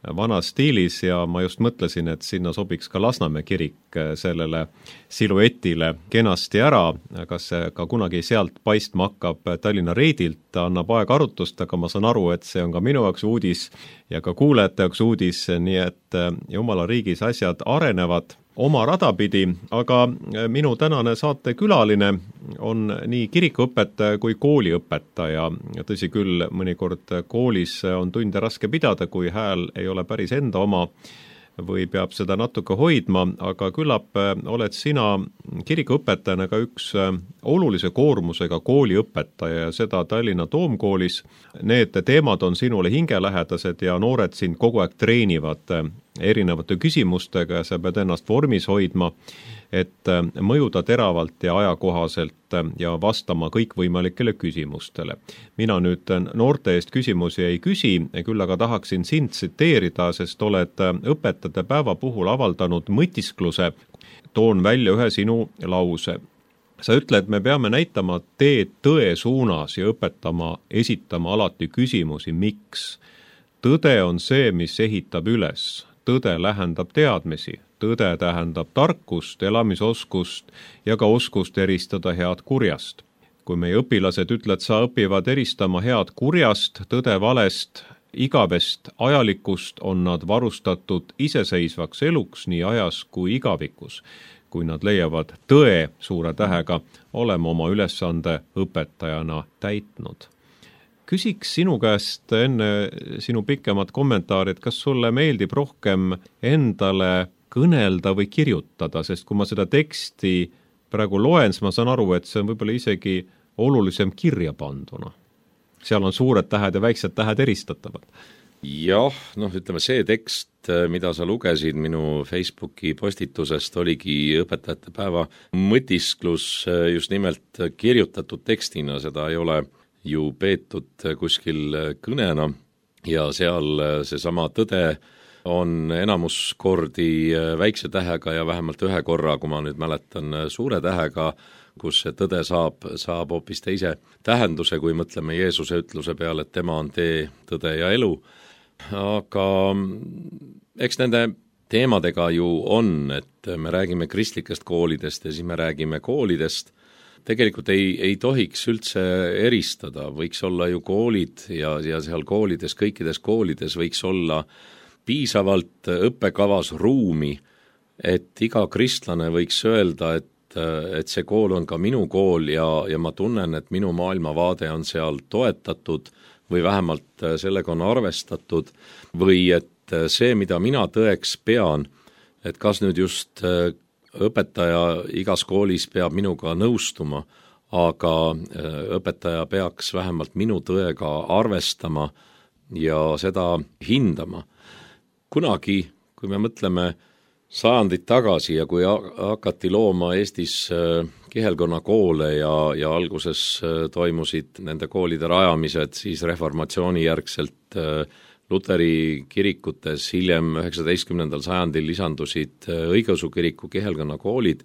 vanas stiilis ja ma just mõtlesin, et sinna sobiks ka Lasnamäe kirik sellele siluetile kenasti ära, kas see ka kunagi sealt paistma hakkab Tallinna reidilt, annab aeg arutust, aga ma saan aru, et see on ka minu jaoks uudis ja ka kuulajate jaoks uudis, nii et Jumala riigis asjad arenevad oma radapidi, aga minu tänane saatekülaline on nii kirikuõpetaja kui kooliõpetaja. Tõsi küll, mõnikord koolis on tunde raske pidada, kui hääl ei ole päris enda oma või peab seda natuke hoidma, aga küllap oled sina kirikuõpetajana ka üks olulise koormusega kooliõpetaja ja seda Tallinna Toomkoolis. Need teemad on sinule hingelähedased ja noored sind kogu aeg treenivad erinevate küsimustega ja sa pead ennast vormis hoidma, et mõjuda teravalt ja ajakohaselt ja vastama kõikvõimalikele küsimustele. Mina nüüd noorte eest küsimusi ei küsi, küll aga tahaksin sind tsiteerida, sest oled õpetajate päeva puhul avaldanud mõtiskluse. Toon välja ühe sinu lause. Sa ütled, me peame näitama teed tõe suunas ja esitama alati küsimusi, miks. Tõde on see, mis ehitab üles. Tõde lähendab teadmisi. Tõde tähendab tarkust, elamisoskust ja ka oskust eristada head kurjast. Kui meie õpilased ütled, sa õpivad eristama head kurjast, tõde valest, igavest ajalikust, on nad varustatud iseseisvaks eluks nii ajas kui igavikus. kui nad leiavad tõe suure tähega, olema oma ülesande õpetajana täitnud. Küsiks sinu käest enne sinu pikemat kommentaari, et kas sulle meeldib rohkem endale kõnelda või kirjutada, sest kui ma seda teksti praegu loen, siis ma saan aru, et see on võib-olla isegi olulisem kirja panduna. Seal on suured tähed ja väiksed tähed eristatavad. Jah, ütleme see tekst, mida sa lugesid minu Facebooki postitusest, oligi õpetajate päeva mõtisklus just nimelt kirjutatud tekstina, seda ei ole ju peetud kuskil kõnena ja seal seesama tõde on enamus kordi väikse tähega ja vähemalt ühe korra, kui ma nüüd mäletan, suure tähega, kus see tõde saab hoopis teise tähenduse, kui mõtleme Jeesuse ütluse peale, et tema on tee, tõde ja elu. Aga eks nende teemadega ju on, et me räägime kristlikest koolidest ja siis me räägime koolidest. Tegelikult ei tohiks üldse eristada, võiks olla ju koolid ja seal koolides, kõikides koolides võiks olla piisavalt õppekavas ruumi, et iga kristlane võiks öelda, et see kool on ka minu kool ja ma tunnen, et minu maailmavaade on seal toetatud või vähemalt sellega on arvestatud või et see, mida mina tõeks pean, et kas nüüd just õpetaja igas koolis peab minuga nõustuma, aga õpetaja peaks vähemalt minu tõega arvestama ja seda hindama. Kunagi, kui me mõtleme sajandid tagasi ja kui hakati looma Eestis kihelkonna koole ja alguses toimusid nende koolide rajamised, siis reformatsiooni järgselt Luteri kirikutes, hiljem 19. sajandil lisandusid õigeusu kiriku kihelkonna koolid,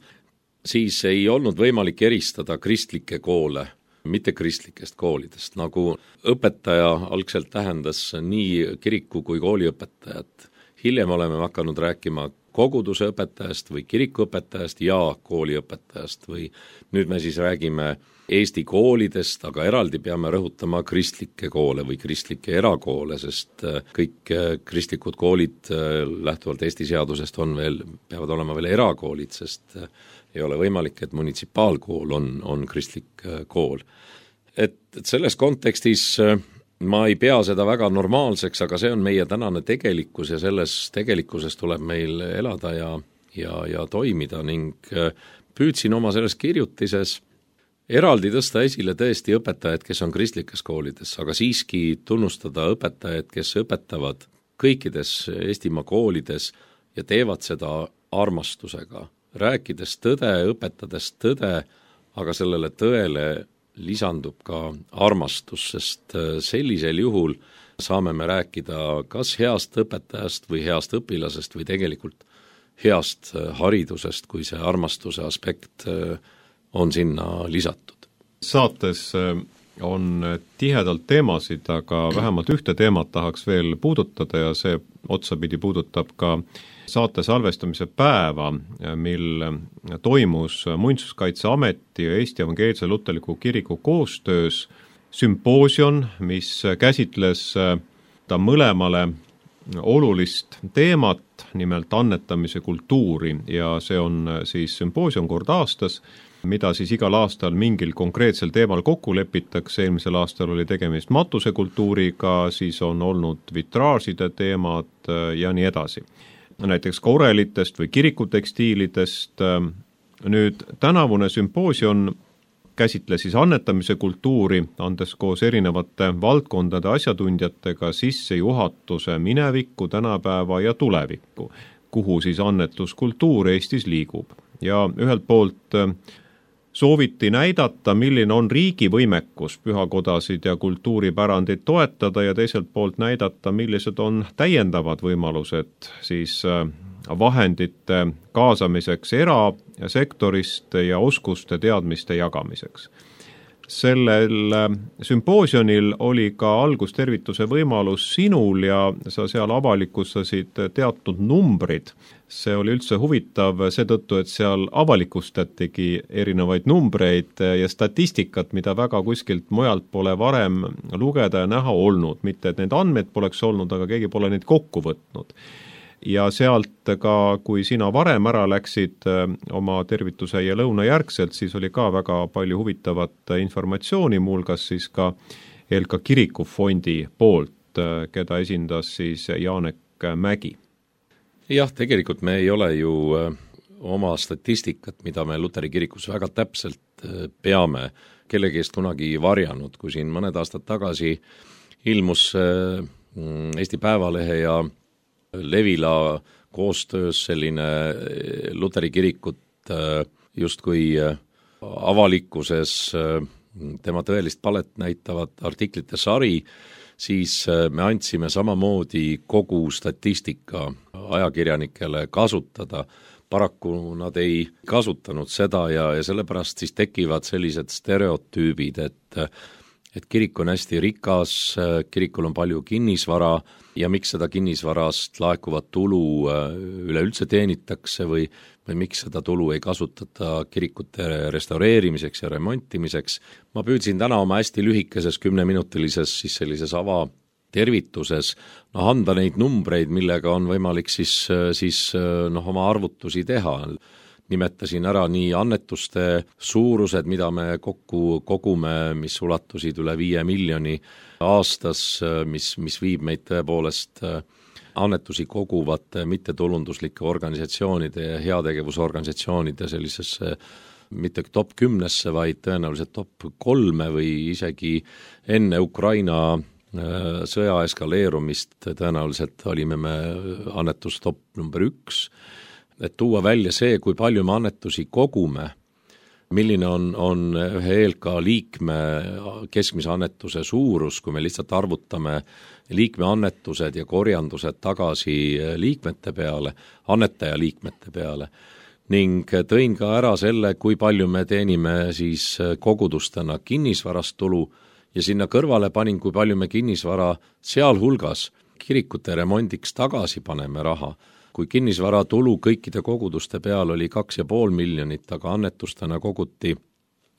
siis ei olnud võimalik eristada kristlikke koole mittekristlikest koolidest, nagu õpetaja algselt tähendas nii kiriku kui kooliõpetajat. Hiljem oleme hakanud rääkima koguduse õpetajast või kirikuõpetajast ja kooliõpetajast või nüüd me siis räägime Eesti koolidest, aga eraldi peame rõhutama kristlikke koole või kristlikke erakoole, sest kõik kristlikud koolid lähtuvalt Eesti seadusest peavad olema veel erakoolid, sest ei ole võimalik, et munitsipaalkool on kristlik kool. Et selles kontekstis ma ei pea seda väga normaalseks, aga see on meie tänane tegelikkus ja selles tegelikkuses tuleb meil elada ja toimida ning püüdsin oma selles kirjutises eraldi tõsta esile tõesti õpetajad, kes on kristlikes koolides, aga siiski tunnustada õpetajad, kes õpetavad kõikides Eestimaa koolides ja teevad seda armastusega, rääkides tõde, õpetades tõde, aga sellele tõele lisandub ka armastus, sest sellisel juhul saame me rääkida kas heast õpetajast või heast õpilasest või tegelikult heast haridusest, kui see armastuse aspekt on sinna lisatud. Saates on tihedalt teemasid, aga vähemalt ühte teemat tahaks veel puudutada ja see otsapidi puudutab ka saate salvestamise päeva, mil toimus Muinsuskaitseameti ja Eesti Evangeelse Luterliku Kiriku koostöös sümpoosium, mis käsitles ta mõlemale olulist teemat, nimelt annetamise kultuuri ja see on siis sümpoosium kord aastas, mida siis igal aastal mingil konkreetsel teemal kokku lepitakse, eelmisel aastal oli tegemist matusekultuuriga, siis on olnud vitraažide teemad ja nii edasi. Näiteks ka orelitest või kirikutekstiilidest. Nüüd tänavune sümpoosium käsitles siis annetamise kultuuri, andes koos erinevate valdkondade asjatundjatega sissejuhatuse minevikku, tänapäeva ja tulevikku, kuhu siis annetuskultuur Eestis liigub. Ja ühelt poolt sooviti näidata, milline on riigi võimekus pühakodasid ja kultuuripärandit toetada ja teiselt poolt näidata, millised on täiendavad võimalused siis vahendite kaasamiseks erasektorist ja oskuste teadmiste jagamiseks. Sellel sümpoosiumil oli ka algustervituse võimalus sinul ja sa seal avalikustasid teatud numbrid. See oli üldse huvitav seetõttu, et seal avalikustatigi erinevaid numbreid ja statistikat, mida väga kuskilt mujalt pole varem lugeda ja näha olnud. Mitte, et need andmed poleks olnud, aga keegi pole neid kokku võtnud. ja sealt ka, kui sina varem ära läksid oma tervituse ja lõuna järgselt, siis oli ka väga palju huvitavat informatsiooni, muuhulgas siis ka ELKA kirikufondi poolt, keda esindas siis Janek Mägi. Jah, tegelikult me ei ole ju oma statistikat, mida me Luteri kirikus väga täpselt peame, kellegi eest kunagi varjanud, kui siin mõned aastad tagasi ilmus Eesti Päevalehe ja Levila koostöös selline Luteri kirikut justkui avalikkuses tema tõelist palet näitavat artiklite sari, siis me andsime samamoodi kogu statistika ajakirjanikele kasutada. Paraku nad ei kasutanud seda ja sellepärast siis tekivad sellised stereotüübid, et kirik on hästi rikas, kirikul on palju kinnisvara ja miks seda kinnisvarast laekuvat tulu üleüldse teenitakse või miks seda tulu ei kasutata kirikute restaureerimiseks ja remontimiseks. Ma püüdsin täna oma hästi lühikeses 10-minutilises siis sellises tervituses anda neid numbreid, millega on võimalik siis oma arvutusi teha. Nimetasin ära nii annetuste suurused, mida me kokku kogume, mis ulatusid üle 5 miljoni aastas, mis viib meid tõepoolest annetusi koguvate mittetulunduslike organisatsioonide ja heategevusorganisatsioonide sellisesse mitte top 10, vaid tõenäoliselt top 3 või isegi enne Ukraina sõja eskaleerumist tõenäoliselt olime me annetus top number 1, et tuua välja see, kui palju me annetusi kogume, milline on ühe ELKA liikme keskmise annetuse suurus, kui me lihtsalt arvutame liikme annetused ja korjandused tagasi liikmete peale, annetaja liikmete peale, ning tõin ka ära selle, kui palju me teenime siis kogudustena kinnisvarast tulu, ja sinna kõrvale panin, kui palju me kinnisvara sealhulgas kirikute remondiks tagasi paneme raha. Kui kinnisvara tulu kõikide koguduste peal oli 2,5 miljonit, aga annetustena koguti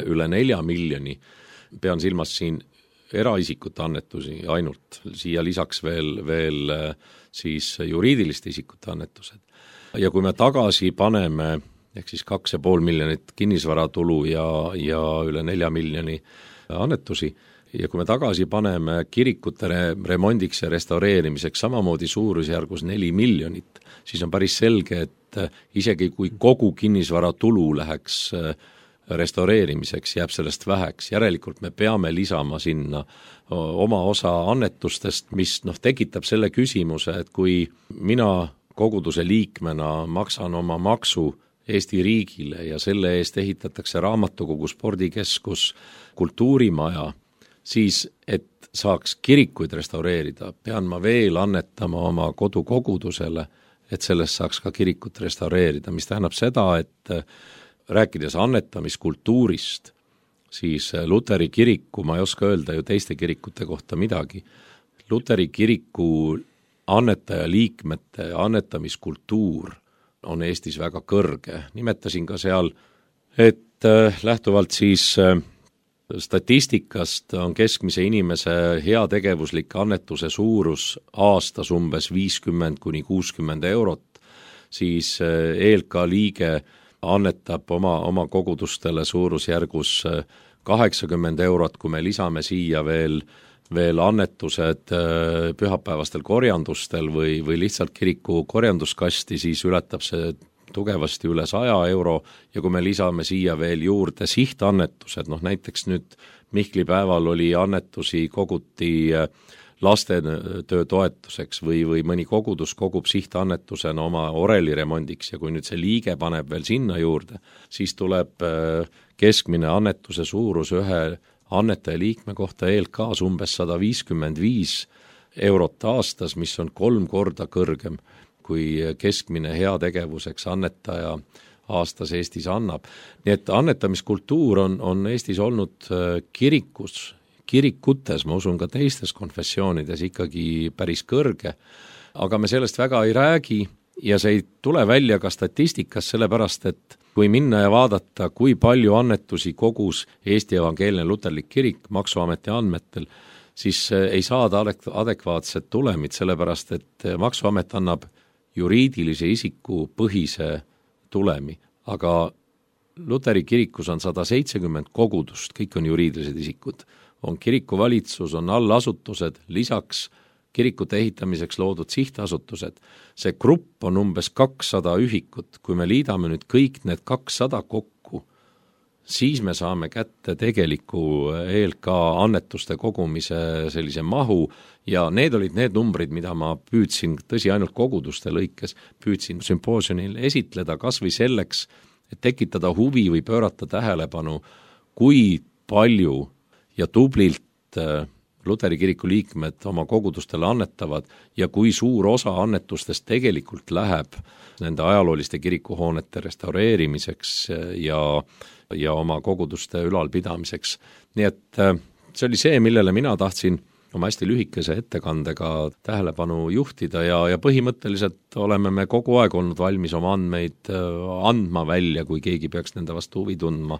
üle 4 miljoni, pean silmas siin eraisikute annetusi ainult, siia lisaks veel siis juriidiliste isikute annetused. Ja kui me tagasi paneme, ehk siis 2,5 miljonit kinnisvaratulu ja üle 4 miljoni annetusi, ja kui me tagasi paneme kirikute remondiks ja restaureerimiseks samamoodi suurusjärgus 4 miljonit, siis on päris selge, et isegi kui kogu kinnisvara tulu läheks restaureerimiseks, jääb sellest väheks. Järelikult me peame lisama sinna oma osa annetustest, mis tekitab selle küsimuse, et kui mina koguduse liikmena maksan oma maksu Eesti riigile ja selle eest ehitatakse raamatukogu, spordikeskus, kultuurimaja, siis, et saaks kirikuid restaureerida, pean ma veel annetama oma kodukogudusele, et sellest saaks ka kirikut restaureerida, mis tähendab seda, et rääkides annetamiskultuurist, siis Luteri kiriku, ma ei oska öelda ju teiste kirikute kohta midagi, Luteri kiriku annetaja liikmete annetamiskultuur on Eestis väga kõrge. Nimetasin ka seal, et lähtuvalt siis statistikast on keskmise inimese heategevuslik annetuse suurus aastas umbes 50–60 eurot, siis ELKA liige annetab oma kogudustele suurusjärgus 80 eurot, kui me lisame siia veel annetused pühapäevastel korjandustel või lihtsalt kiriku korjanduskasti, siis ületab see tugevasti üle 100 euro ja kui me lisame siia veel juurde sihtannetused, näiteks nüüd Mihkli päeval oli annetusi, koguti lastetöö toetuseks või mõni kogudus kogub sihtannetusena oma oreli remondiks ja kui nüüd see liige paneb veel sinna juurde, siis tuleb keskmine annetuse suurus ühe annetaja liikme kohta ELKAs umbes 155 eurot aastas, mis on 3 korda kõrgem kui keskmine heategevuseks annetaja aastas Eestis annab. Nii et annetamiskultuur on Eestis olnud kirikutes, ma usun ka teistes konfessioonides ikkagi päris kõrge, aga me sellest väga ei räägi ja see ei tule välja ka statistikas, sellepärast et kui minna ja vaadata, kui palju annetusi kogus Eesti Evangeelne Luterlik Kirik Maksuameti andmetel, siis ei saada adekvaatset tulemit, sellepärast et Maksuamet annab juriidilise isiku põhise tulemi, aga Luteri kirikus on 170 kogudust, kõik on juriidilised isikud. On kirikuvalitsus, on allasutused, lisaks kirikute ehitamiseks loodud sihtasutused. See grupp on umbes 200 ühikut. Kui me liidame nüüd kõik need 200 kokku, siis me saame kätte tegeliku ELK annetuste kogumise sellise mahu ja need olid need numbrid, mida ma püüdsin, tõsi ainult koguduste lõikes, püüdsin sümpoosiumil esitleda kas või selleks, et tekitada huvi või pöörata tähelepanu, kui palju ja tublilt Luteri kiriku liikmed oma kogudustele annetavad ja kui suur osa annetustest tegelikult läheb nende ajalooliste kirikuhoonete restaureerimiseks ja oma koguduste ülalpidamiseks. Nii et see oli see, millele mina tahtsin oma hästi lühikese ettekandega tähelepanu juhtida ja põhimõtteliselt oleme me kogu aeg olnud valmis oma andmeid andma välja, kui keegi peaks nende vastu huvi tundma.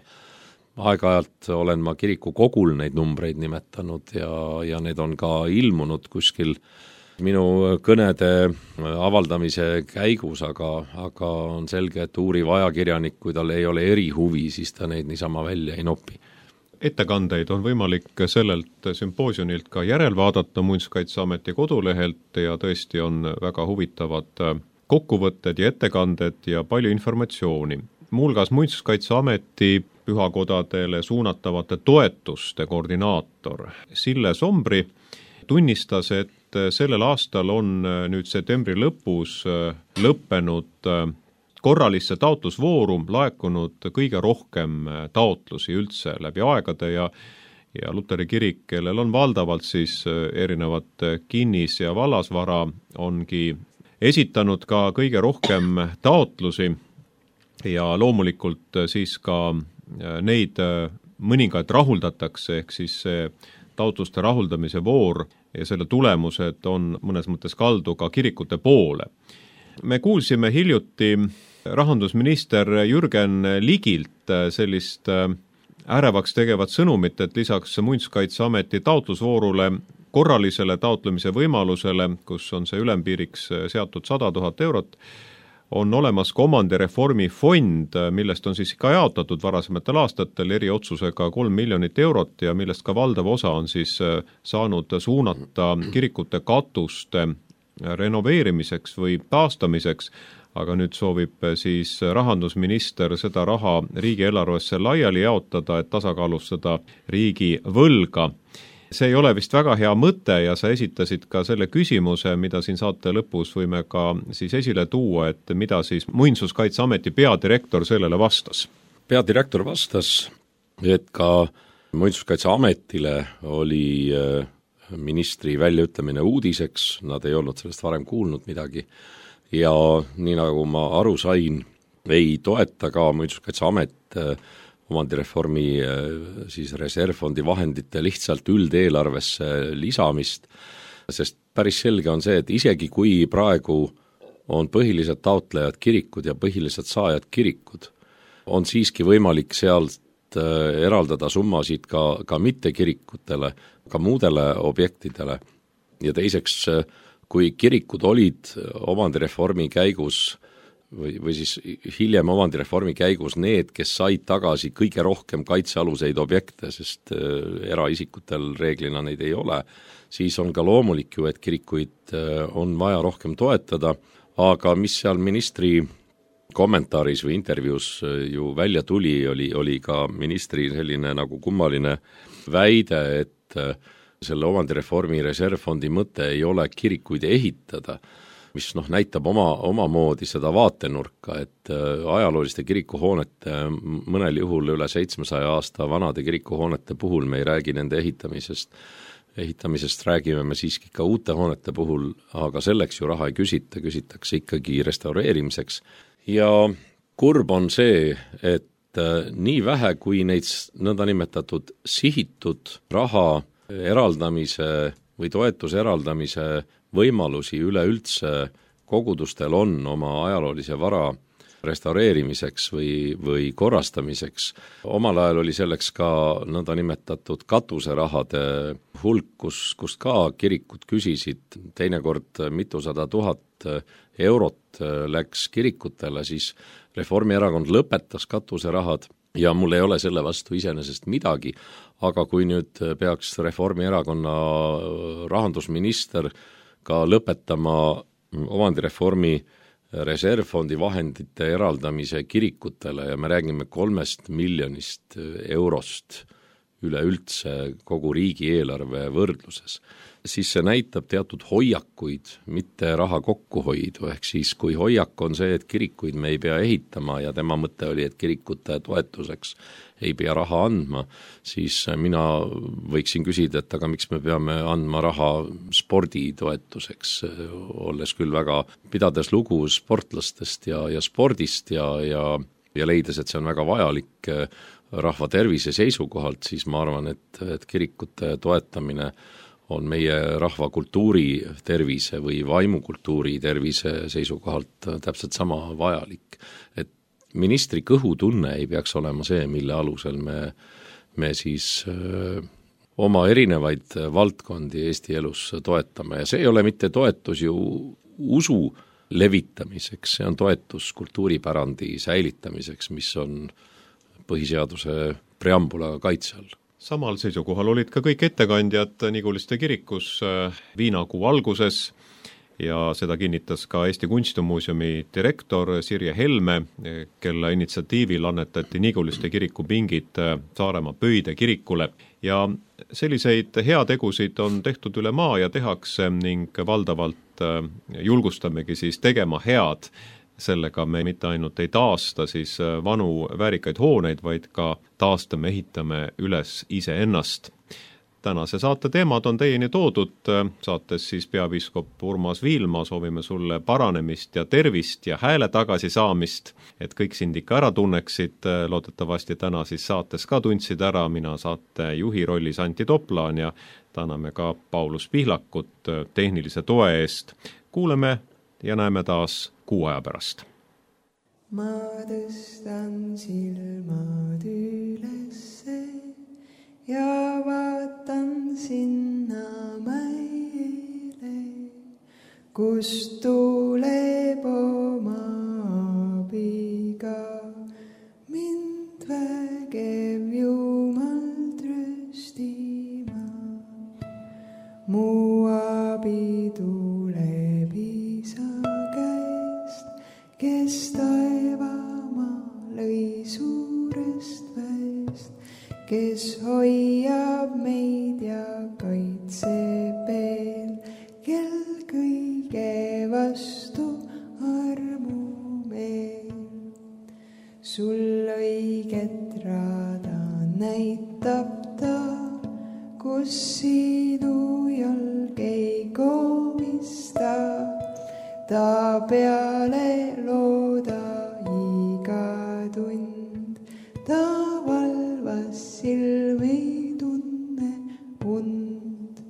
Aeg-ajalt olen ma kiriku kogul neid numbreid nimetanud ja need on ka ilmunud kuskil minu kõnede avaldamise käigus, aga on selge, et uuriv ajakirjanik, kui tal ei ole erihuvi, siis ta neid niisama välja ei nopi. Ettekandeid on võimalik sellelt sümpoosionilt ka järelvaadata Muinsuskaitseameti kodulehelt ja tõesti on väga huvitavad kokkuvõtted ja ettekanded ja palju informatsiooni. Muuhulgas Muinsuskaitseameti pühakodadele suunatavate toetuste koordinaator Sille Sombri tunnistas, et sellel aastal on nüüd septembri lõpus lõppenud korralisse taotlusvooru laekunud kõige rohkem taotlusi üldse läbi aegade ja Luteri kirik, kellel on valdavalt siis erinevat kinnis- ja vallasvara, ongi esitanud ka kõige rohkem taotlusi ja loomulikult siis ka neid mõningaid rahuldatakse, ehk siis see taotluste rahuldamise voor ja selle tulemused on mõnes mõttes kaldu ka kirikute poole. Me kuulsime hiljuti rahandusminister Jürgen Ligilt sellist ärevaks tegevat sõnumit, et lisaks Muinsuskaitseameti taotlusvoorule korralisele taotlemise võimalusele, kus on see ülempiiriks seatud 100 000 eurot, on olemas ka omandireformi fond, millest on siis ka jaotatud varasematel aastatel eriotsusega 3 miljonit eurot ja millest ka valdav osa on siis saanud suunata kirikute katuste renoveerimiseks või taastamiseks, aga nüüd soovib siis rahandusminister seda raha riigieelarvesse laiali jaotada, et tasakaalustada riigi võlga. See ei ole vist väga hea mõte ja sa esitasid ka selle küsimuse, mida siin saate lõpus võime ka siis esile tuua, et mida siis Muinsuskaitseameti peadirektor sellele vastas. Peadirektor vastas, et ka Muinsuskaitseametile oli ministri väljaütlemine uudiseks, nad ei olnud sellest varem kuulnud midagi ja nii nagu ma aru sain, ei toeta ka Muinsuskaitseamet omandireformi siis reservfondi vahendite lihtsalt üldeelarvesse lisamist, sest päris selge on see, et isegi kui praegu on põhilised taotlejad kirikud ja põhilised saajad kirikud, on siiski võimalik sealt eraldada summasid ka mitte kirikutele, ka muudele objektidele. Ja teiseks, kui kirikud olid omandireformi käigus või siis hiljem omandireformi käigus need, kes said tagasi kõige rohkem kaitsealuseid objekte, sest eraisikutel reeglina neid ei ole, siis on ka loomulik ju, et kirikuid on vaja rohkem toetada, aga mis seal ministri kommentaaris või intervjuus ju välja tuli, oli ka ministri selline nagu kummaline väide, et selle omandireformi reservfondi mõte ei ole kirikuid ehitada, mis näitab omamoodi seda vaatenurka, et ajalooliste kirikuhoonete, mõnel juhul üle 700 aasta vanade kirikuhoonete puhul me ei räägi nende ehitamisest räägime me siiski ka uute hoonete puhul, aga selleks ju raha ei küsita, küsitakse ikkagi restaureerimiseks. Ja kurb on see, et nii vähe kui neid nõndanimetatud sihitud raha eraldamise või toetuse eraldamise võimalusi üleüldse kogudustel on oma ajaloolise vara restaureerimiseks või korrastamiseks. Omal ajal oli selleks ka nõndanimetatud katuserahade hulk, kust ka kirikud küsisid teinekord mitusada tuhat eurot läks kirikutele, siis Reformierakond lõpetas katuserahad ja mul ei ole selle vastu iseenesest midagi, aga kui nüüd peaks Reformierakonna rahandusminister ka lõpetama omandireformi reservfondi vahendite eraldamise kirikutele ja me räägime 3 miljonist eurost üleüldse kogu riigieelarve võrdluses, siis see näitab teatud hoiakuid, mitte raha kokkuhoidu, ehk siis kui hoiak on see, et kirikuid me ei pea ehitama ja tema mõte oli, et kirikute toetuseks ei pea raha andma, siis mina võiksin küsida, et aga miks me peame andma raha sporditoetuseks, olles küll väga, pidades lugu sportlastest ja spordist ja leides, et see on väga vajalik rahva tervise seisukohalt, siis ma arvan, et kirikute toetamine on meie rahva kultuuri tervise või vaimukultuuri tervise seisukohalt täpselt sama vajalik. Et ministri kõhutunne ei peaks olema see, mille alusel me siis oma erinevaid valdkondi Eesti elus toetame ja see ei ole mitte toetus ju usu levitamiseks, see on toetus kultuuripärandi säilitamiseks, mis on põhiseaduse preambula kaitse all. Samal seisukohal olid ka kõik ettekandjad Niguliste kirikus viinakuu alguses ja seda kinnitas ka Eesti Kunstimuuseumi direktor Sirje Helme, kelle initsiatiivil annetati Niguliste kiriku pingid Saaremaa Pöide kirikule ja selliseid heategusid on tehtud üle maa ja tehakse ning valdavalt julgustamegi siis tegema head. Sellega me mitte ainult ei taasta siis vanu väärikaid hooneid, vaid ka taastame, ehitame üles iseennast. Tänase saate teemad on teieni toodud, saates siis peapiiskop Urmas Viilma, soovime sulle paranemist ja tervist ja hääle tagasi saamist, et kõik sind ikka ära tunneksid, loodetavasti täna siis saates ka tundsid ära, mina saate juhi rollis Antti Toplaan ja täname ka Paulus Pihlakut tehnilise toe eest. Kuuleme ja näeme taas kuu aja pärast. Ma tõstan silmad ülesse ja vaatan sinna mäele, kust tuleb oma abiga mind vägev Jumal tröstima. Mu abi tuleb Isa käest, kes taevamaa lõi suurest väest, kes hoiab meid ja kaitseb veel, kel kõige vastu armu meil. Sul õiget rada näitab ta, kus sinu jalg ei komista. Ta peale looda iga tund, ta valvas silmi tunne und.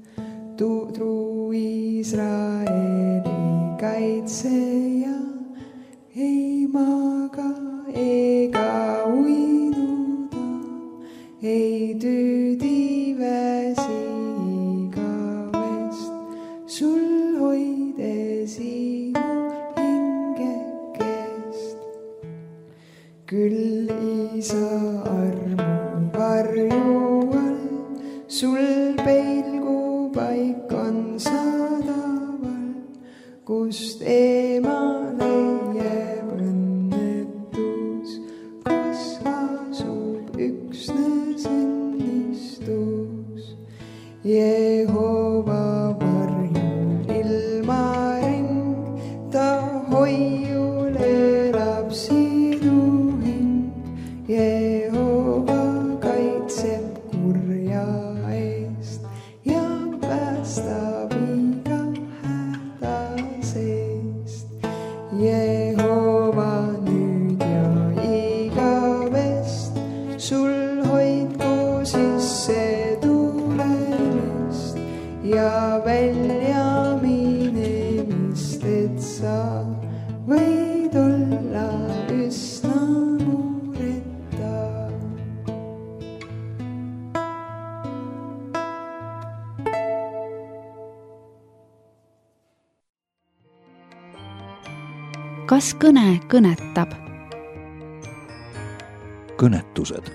Truu Iisraeli kaitseja ei maga ega uinuda, ei tüüdi väsi igavest, sul hoides küll Isa armu varju all, sul peilgu paik on sadaval, kust eemale jääb õnnetus, kus asub üksnes õnnistus. Jehova varjul ilmaring, ta hoiul elab sinu hing. Jehova kaitseb kurja eest ja päästab iga häda seest. Jehova nüüd ja igavest, sul hoidku sisse tulemist ja välja minemist, et sa võid olla üsna mureta. kas kõne kõnetab? kõnetused